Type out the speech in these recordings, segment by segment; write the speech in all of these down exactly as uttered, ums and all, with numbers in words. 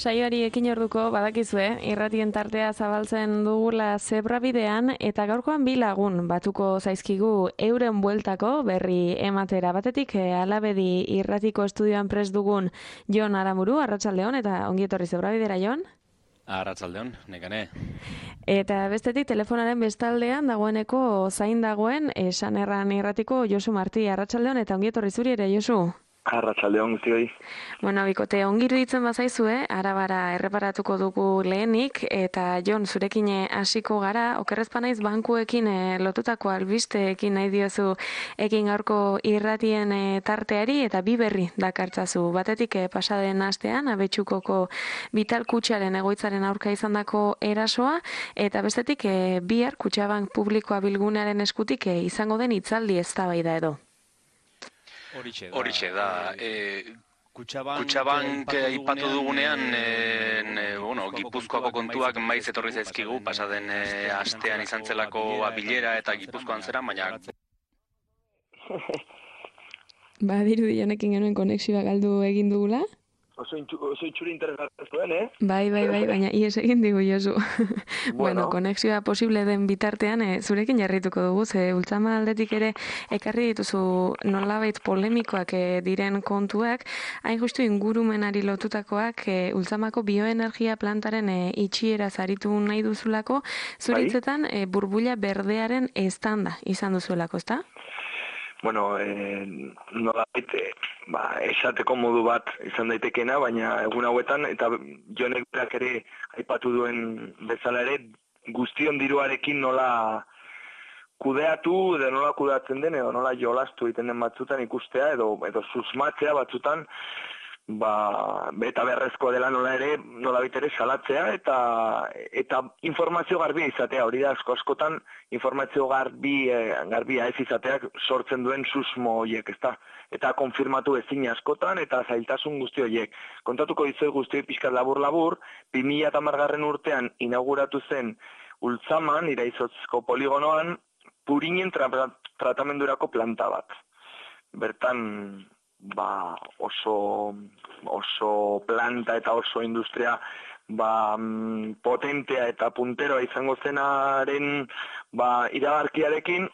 saioari ekin orduko badakizue, irratien tartea zabaltzen dugula zebrabidean eta gaurkoan bi lagun batuko zaizkigu euren bueltako berri ematera. Batetik Alabedi irratiko estudioan prest dugun Jon Aramuru, arratsaldeon eta ongi etorri zebrabidera, Jon. Arratsaldeon, nekane. Eta bestetik telefonaren bestaldean dagoeneko zain dagoen esan erran irratiko Josu Marti, arratsaldeon eta ongi etorri zuri ere, Josu. Arratsaldeon guztioi. Bueno, bikote, ongi iruditzen bazaizue, arabara erreparatuko dugu lehenik, eta Jon, zurekin hasiko gara, okerrezpa naiz bankuekin e, lotutako albisteekin nahi diozu ekin gaurko irratien e, tarteari, eta bi berri dakartzazu. Batetik e, pasaden astean, Abetxukoko Vital Kutxaren egoitzaren aurka izandako erasoa, eta bestetik e, bihar Kutxabank publikoa bilgunearen eskutik e, izango den hitzaldi eztabaida edo. Horixe da, e, Kutxabank aipatu dugunean, e, e, bueno, Gipuzkoako kontuak maiz etorri zaizkigu, pasaden e, astean izan zelako bilera eta Gipuzkoan zera, baina... Ba, dirudi honekin genuen konexioa galdu egin dugula. Oso itxuri interesgarria zuen, eh? Bai, bai, bai, baina ies egin digu, Josu. Bueno, bueno konexioa posible den bitartean, e, zurekin jarrituko dugu, ze ultzama aldetik ere ekarri dituzu nolabait polemikoak e, diren kontuak, hain justu ingurumenari lotutakoak e, ultzamako bioenergia plantaren e, itxiera zaritu nahi duzulako, zuritzetan e, burbuila berdearen estanda izan duzuelako, ezta? Bueno, eh, nolabait, ba, esateko modu bat izan daitekena, baina egun hauetan, eta Jonek berak ere aipatu duen bezala ere, guztion diruarekin nola kudeatu, edo nola kudeatzen den, edo nola jolastu egiten den batzutan ikustea, edo, edo susmatzea batzutan, ba, eta beharrezko dela nola ere, nola ere salatzea, eta, eta informazio garbia izatea, hori da asko askotan, informazio garbi, garbia ez izateak sortzen duen susmo horiek, ezta? Eta konfirmatu ezin askotan, eta zailtasun guzti horiek. Kontatuko dizoi guzti pixkat labur-labur, bi mila hamargarren urtean inauguratu zen Ultzaman, Iraizotzko poligonoan, purinen tra tratamendurako planta bat. Bertan, ba, oso, oso planta eta oso industria ba, potentea eta punteroa izango zenaren ba, iragarkiarekin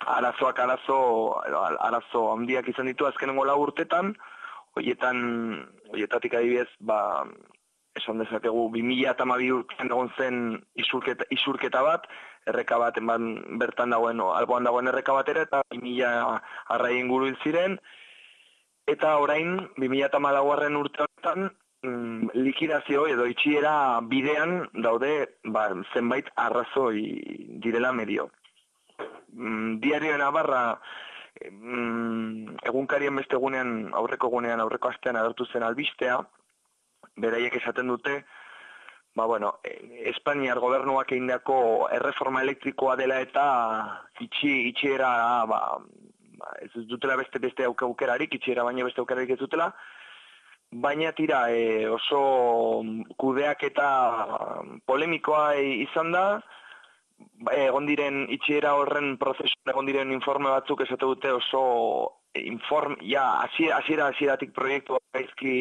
arazoak arazo, arazo handiak izan ditu azkenengo lau urtetan, horietan, horietatik adibidez, ba, esan dezakegu, bi mila hamabi urtean egon zen isurketa, isurketa bat, erreka bat bertan dagoen, alboan dagoen erreka batera, eta bi mila arrai inguru ziren, eta orain, bi mila hamalaugarren urte honetan, mm, likidazio edo itxiera bidean daude ba, zenbait arrazoi direla medio. Mm, Diario Navarra mm, egunkarien beste egunean, aurreko egunean, aurreko astean agertu zen albistea, beraiek esaten dute, ba, bueno, Espainiar gobernuak egindako erreforma elektrikoa dela eta itxi, itxiera, ba, ez dutela beste beste aukerarik, itxiera baina beste aukerarik ez dutela, baina tira e, oso kudeak eta polemikoa izan da, egon diren itxiera horren prozesu, egon diren informe batzuk esate dute oso inform, ja, hasiera hasieratik proiektu gaizki,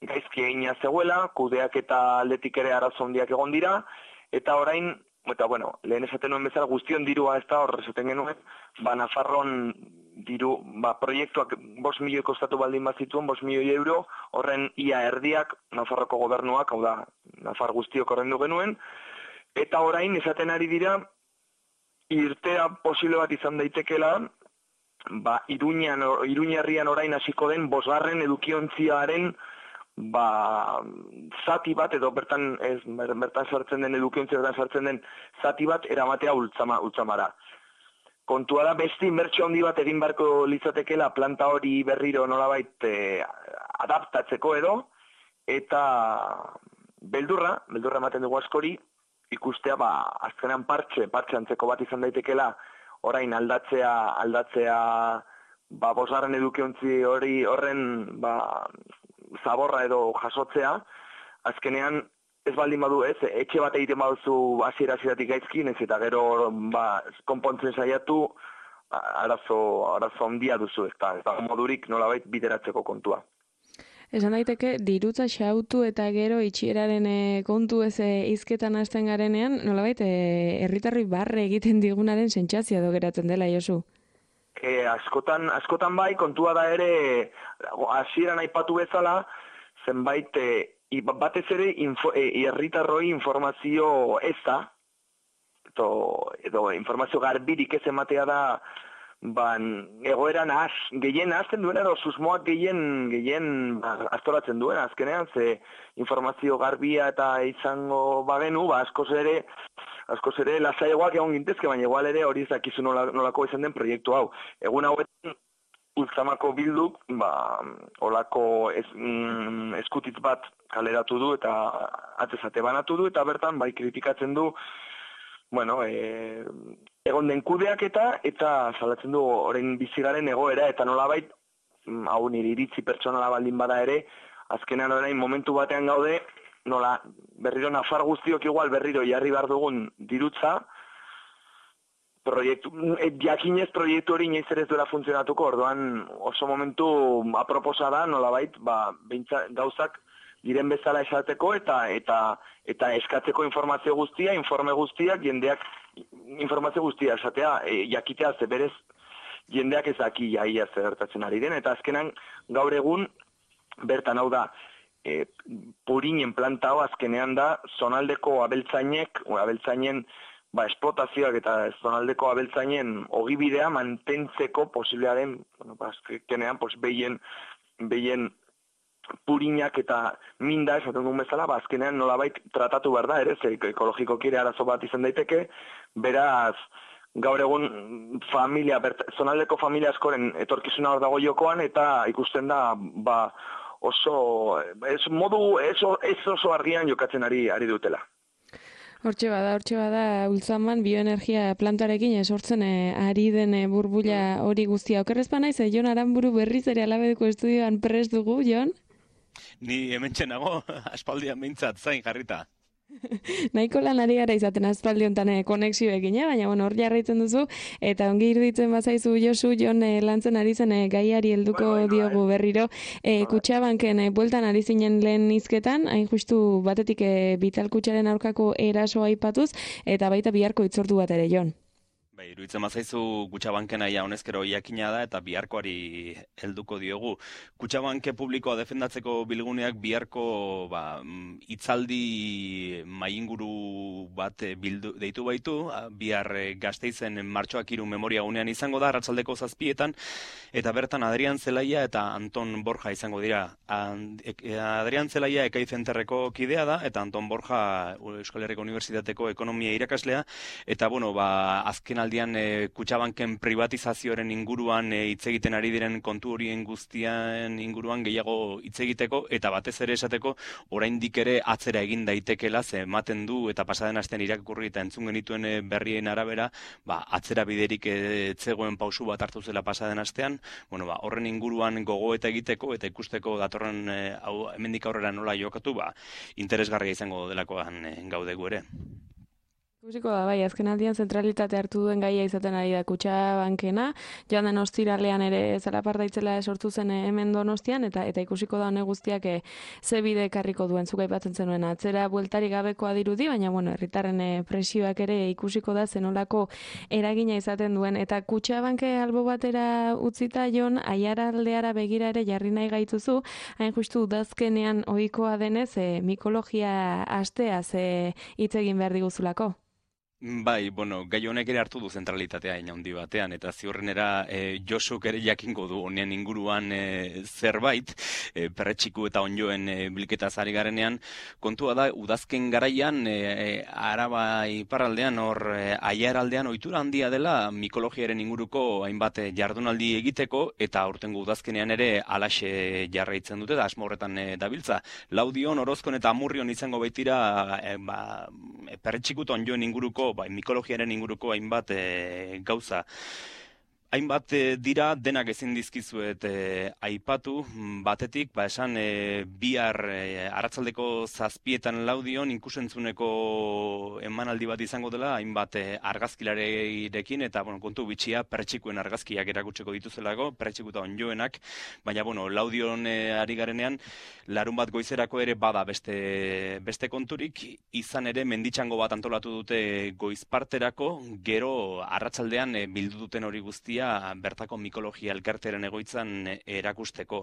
gaizki egina zegoela, kudeak eta aldetik ere arazo handiak egon dira, eta orain, eta bueno, lehen esaten nuen bezala guztion dirua ez da hor esaten genuen, ba Nafarroan diru, ba proiektuak bost milioi kostatu baldin bazituen, bost milioi euro, horren ia erdiak Nafarroko gobernuak, hau da, Nafar guztiok horrendu genuen, eta orain esaten ari dira, irtea posible bat izan daitekela, ba Iruñan, Iruñerrian orain hasiko den bosgarren edukiontziaren ba, zati bat, edo bertan, ez, bertan sartzen den edukiontzi, bertan sartzen den zati bat eramatea ultzama, ultzamara. Kontua da beste inbertsio handi bat egin beharko litzatekeela planta hori berriro nolabait eh, adaptatzeko edo, eta beldurra, beldurra ematen dugu askori, ikustea, ba, azkenean partxe, partxe antzeko bat izan daitekeela, orain aldatzea, aldatzea, ba, bosgarren edukiontzi hori horren, ba, zaborra edo jasotzea, azkenean ez baldin badu ez, etxe bat egiten baduzu hasiera hasieratik gaizki, nez eta gero ba, konpontzen saiatu, arazo, arazo handia duzu, ez da, ez da modurik nolabait bideratzeko kontua. Esan daiteke, dirutza xautu eta gero itxieraren e, kontu ez e, hizketan hasten garenean, nolabait, e, herritarroi barre egiten digunaren sentsazioa do geratzen dela, Josu. E, askotan, askotan bai, kontua da ere, hasieran aipatu bezala, zenbait, e, batez ere, info, e, herritarroi informazio ez da, edo, edo informazio garbirik ez ematea da, ban, egoera nahaz, gehien nahazten duena, edo susmoak gehien, gehien ba, astoratzen duena, azkenean, ze informazio garbia eta izango bagenu, ba, askoz ere, askoz ere lasaiagoak egon gintezke, baina igual ere hori ez dakizu nola, nolako izan den proiektu hau. Egun hauetan, Ultzamako bilduk, ba, olako ez, mm, eskutitz bat kaleratu du eta atzezate banatu du, eta bertan, bai, kritikatzen du, bueno, e, egon den kudeaketa eta salatzen du orain bizigaren egoera eta nolabait, hau nire iritzi pertsonala baldin bada ere, azkenean orain momentu batean gaude, nola berriro nafar guztiok igual berriro jarri behar dugun dirutza, proiektu, jakinez proiektu hori inoiz ere ez duela funtzionatuko, orduan oso momentu aproposa da nolabait, ba, beintza, gauzak diren bezala esateko eta eta eta eskatzeko informazio guztia, informe guztiak, jendeak informazio guztia esatea, e, jakitea ze berez jendeak ez daki jaia zer gertatzen ari den, eta azkenan gaur egun bertan hau da, e, purinen planta hau azkenean da zonaldeko abeltzainek, abeltzainen ba, esplotazioak eta zonaldeko abeltzainen ogibidea mantentzeko posiblearen, bueno, ba, azkenean, pues, behien, behien purinak eta minda, esaten duen bezala, ba, azkenean nolabait tratatu behar da, ere, ze ekologiko kire arazo bat izan daiteke, beraz, gaur egun familia, bert, zonaldeko familia askoren etorkizuna hor dago jokoan, eta ikusten da, ba, oso, ez modu, ez, ez oso argian jokatzen ari, ari dutela. Hortxe bada, hortxe bada, Ultzaman bioenergia plantarekin esortzen e, ari den e, burbuila hori guztia. Okerrezpa naiz, e, Jon Aranburu berriz ere Alabedeko estudioan prest dugu, Jon? Ni hemen txenago, aspaldian behintzat, zain jarrita. Nahiko lan ari gara izaten aspaldi honetan eh, konexioekin, eh? Baina bueno, hor jarraitzen duzu, eta ongi iruditzen bazaizu Josu, Jon eh, lantzen ari zen eh, gaiari helduko bueno, bueno, diogu eh. berriro. Eh, Kutxabanken eh, bueltan ari zinen lehen hizketan, hain justu batetik eh, Vital Kutxaren aurkako erasoa aipatuz, eta baita biharko hitzordu bat ere, Jon. Bai, iruditzen bazaizu Kutxabanken aia honezkero jakina da eta biharkoari helduko diogu. Kutxabanke publikoa defendatzeko bilguneak biharko ba, hitzaldi mainguru bat bildu, deitu baitu, bihar Gasteizen martxoak hiru memoria gunean izango da, arratsaldeko zazpietan, eta bertan Adrian Zelaia eta Anton Borja izango dira. Adrian Zelaia Ekai Zenterreko kidea da, eta Anton Borja Euskal Herriko Unibertsitateko ekonomia irakaslea, eta bueno, ba, azken aldian e, Kutxabanken privatizazioaren inguruan hitz e, egiten ari diren kontu horien guztian inguruan gehiago hitz egiteko eta batez ere esateko oraindik ere atzera egin daitekeela, ze ematen du eta pasaden astean irakurri eta entzun genituen e, berrien arabera, ba, atzera biderik e, zegoen pausu bat hartu zela pasaden astean, bueno, ba, horren inguruan gogoeta egiteko eta ikusteko datorren e, hau hemendik aurrera nola jokatu, ba, interesgarria izango delakoan e, gaudegu ere. Ikusiko da, bai, azken aldian zentralitate hartu duen gaia izaten ari da Kutxabankena, joan den ostiralean ere zalaparta itzela sortu zen hemen Donostian, eta eta ikusiko da hone guztiak e, ze bide ekarriko duen, zuk aipatzen zenuen atzera bueltari gabekoa dirudi, baina bueno, herritarren e, presioak ere ikusiko da zenolako eragina izaten duen, eta Kutxabanke albo batera utzita Jon, Aiaraldeara begira ere jarri nahi gaituzu, hain justu udazkenean ohikoa denez, e, mikologia asteaz e, hitz egin behar diguzulako. Bai, bueno, gai honek ere hartu du zentralitatea ina handi batean, eta ziurrenera e, Josuk ere jakingo du honen inguruan e, zerbait, e, perretxiku eta onjoen e, bilketa zari garenean, kontua da, udazken garaian, e, Araba iparraldean, hor e, Aiaraldean ohitura handia dela mikologiaren inguruko hainbat jardunaldi egiteko, eta aurtengo udazkenean ere alaxe jarraitzen dute, da asmo horretan e, dabiltza. Laudion, Orozkon eta Amurrion izango baitira e, ba, perretxiku eta onjoen inguruko, bai, mikologiaren inguruko hainbat e, gauza. hainbat dira denak ezin dizkizuet e, aipatu, batetik, ba esan e, bihar e, arratsaldeko zazpietan laudion ikusentzuneko emanaldi bat izango dela, hainbat e, argazkilareirekin, eta bueno, kontu bitxia pertsikuen argazkiak erakutseko dituzelako, pertsikuta onjoenak, baina bueno, laudion e, ari garenean, larun bat goizerako ere bada beste, beste konturik, izan ere menditxango bat antolatu dute goizparterako, gero arratsaldean e, bildu duten hori guztia bertako mikologia elkarteren egoitzan erakusteko.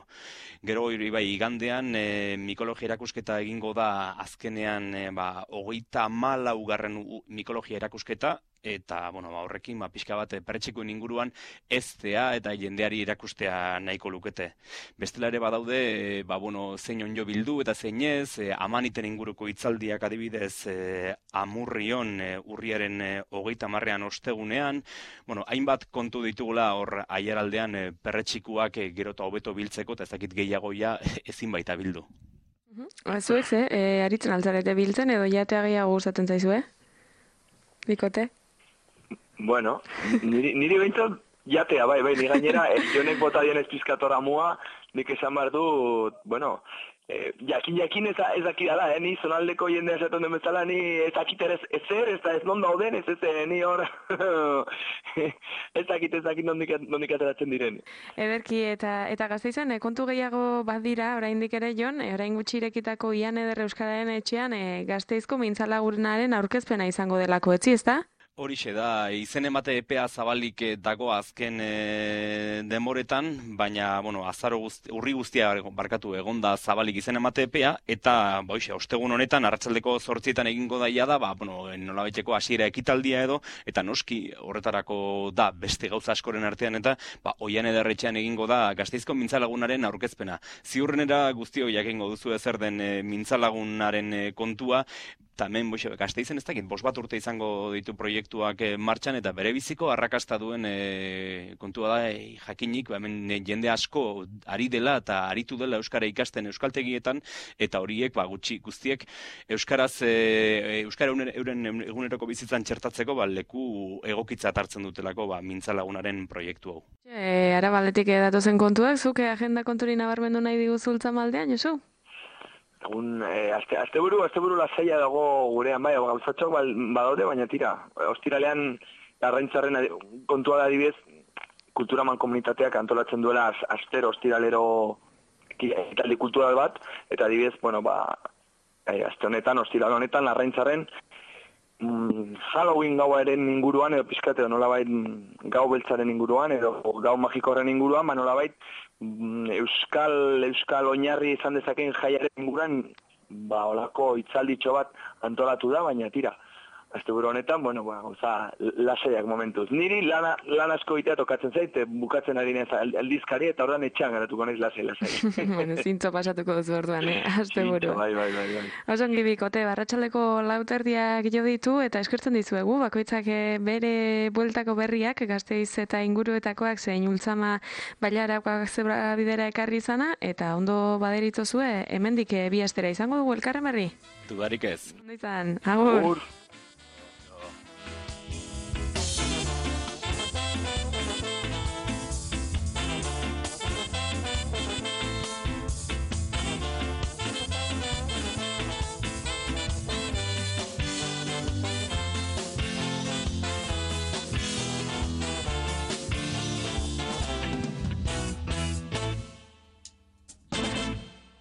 Gero hori bai igandean e, mikologia erakusketa egingo da azkenean e, ba, hogeita hamalaugarren mikologia erakusketa, eta bueno, ba, horrekin ba, pixka bat pertsikoen inguruan eztea eta jendeari erakustea nahiko lukete. Bestela ere badaude e, ba, bueno, zein onjo bildu eta zein ez, e, amaniten inguruko hitzaldiak adibidez e, amurrion e, urriaren e, hogeita hamarrean ostegunean, bueno, hainbat kontu ditugula hor aiaraldean e, perretxikuak e, gero eta hobeto biltzeko, eta ez dakit gehiagoia ezin baita bildu. Zuek ze, e, aritzen altzarete biltzen edo jatea gehiago gustatzen zaizue? Bikote? Bueno, niri, niri behintzat jatea, bai, bai, ni gainera, eh, jonek bota dionez pizkatora mua, nik esan behar du, bueno, eh, jakin jakin ez, ez dakidala, eh, ni zonaldeko jendea esaten den bezala, ni ez dakit ere ez zer, ez da ez non dauden, ez ez, eh, ni hor, ez dakit ez dakit nondik, nondik ateratzen diren. Ederki, eta eta Gasteizen, e, kontu gehiago badira, oraindik ere Jon, e, orain gutxi irekitako Ian Eder Euskararen etxean, e, Gasteizko mintzalagurenaren aurkezpena izango delako, etzi, ezta? Horixe da, izen emate epea zabalik dago azken e, demoretan, baina, bueno, azaro guzti, urri guztia barkatu egonda zabalik izen emate epea, eta, boixe, ostegun honetan, arratsaldeko zortzietan egingo daia da, ba, bueno, nolabaiteko hasiera ekitaldia edo, eta noski horretarako da beste gauza askoren artean, eta, ba, Oian Ederretxean egingo da Gasteizko mintzalagunaren aurkezpena. Ziurrenera guztio jakingo duzu ezer den e, mintzalagunaren e, kontua, eta hemen, boixe, Gasteizen ez dakit, bost bat urte izango ditu proiektuak e, martxan, eta bere biziko arrakasta duen e, kontua da e, jakinik, ba, hemen e, jende asko ari dela eta aritu dela euskara ikasten euskaltegietan, eta horiek ba, gutxi guztiek euskaraz e, euskara euren eguneroko bizitzan txertatzeko ba, leku egokitzat hartzen dutelako ba, mintzalagunaren proiektu hau. E, Arabaldetik datozen kontuak, zuke agenda konturi nabarmendu nahi diguzultza Ultzamaldean, Josu? Egun, e, azte, azteburu, azteburu lasaia dago gurean, bai, gauzatxok badaude, baina tira, ostiralean Arraintzarren kontua da adibidez, kulturaman komunitateak antolatzen duela az, astero ostiralero ekitaldi kultural bat, eta adibidez, bueno, ba, e, azte honetan, ostiral honetan, Arraintzarren mm, Halloween gauaren inguruan, edo pizkate, nolabait gau beltzaren inguruan, edo gau magikoaren inguruan, ba, nolabait, Euskal, Euskal oinarri izan dezakeen jaiaren inguruan, ba, olako hitzalditxo bat antolatu da, baina tira. Asteburu honetan, bueno, ba, oza, lasaiak momentuz. Niri lana, lan asko itea tokatzen zaite, bukatzen ari nez aldizkari, eta ordan etxean garatuko naiz lasai, lasai. Bueno, zintzo pasatuko duzu orduan, eh? Asteburu. Bai, bai, bai, bai. Osongi bikote, barratsaleko lauterdiak jo ditu, eta eskertzen dizuegu, bakoitzak bere bueltako berriak, Gasteiz eta inguruetakoak zein Ultzama Bailarakoak zebra bidera ekarri izana, eta ondo baderitzozue, hemendik bi astera izango dugu elkarren berri? Dudarik ez. Ondo izan, agur. Agur.